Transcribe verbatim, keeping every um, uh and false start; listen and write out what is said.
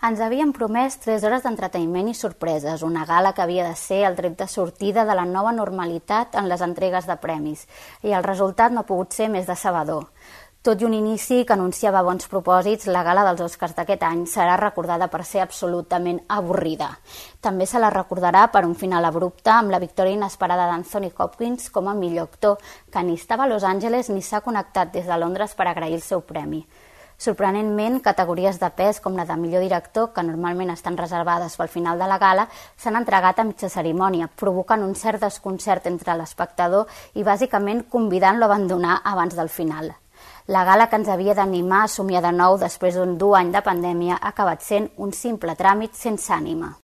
Ens havien promès tres hores d'entreteniment i sorpreses, una gala que havia de ser el tret de sortida de la nova normalitat en les entregues de premis, i el resultat no ha pogut ser més decebedor. Tot i un inici que anunciava bons propòsits, la gala dels Oscars d'aquest any serà recordada per ser absolutament avorrida. També se la recordarà per un final abrupte amb la victòria inesperada d'Anthony Hopkins com a millor actor, que ni estava a Los Angeles ni s'ha connectat des de Londres per agrair el seu premi. Sorprenentment, categories de pes com la de millor director, que normalment estan reservades pel final de la gala, s'han entregat a mitja cerimònia, provocant un cert desconcert entre l'espectador i bàsicament convidant-lo a abandonar abans del final. La gala que ens havia d'animar a somiar de nou després d'un dur any de pandèmia ha acabat sent un simple tràmit sense ànima.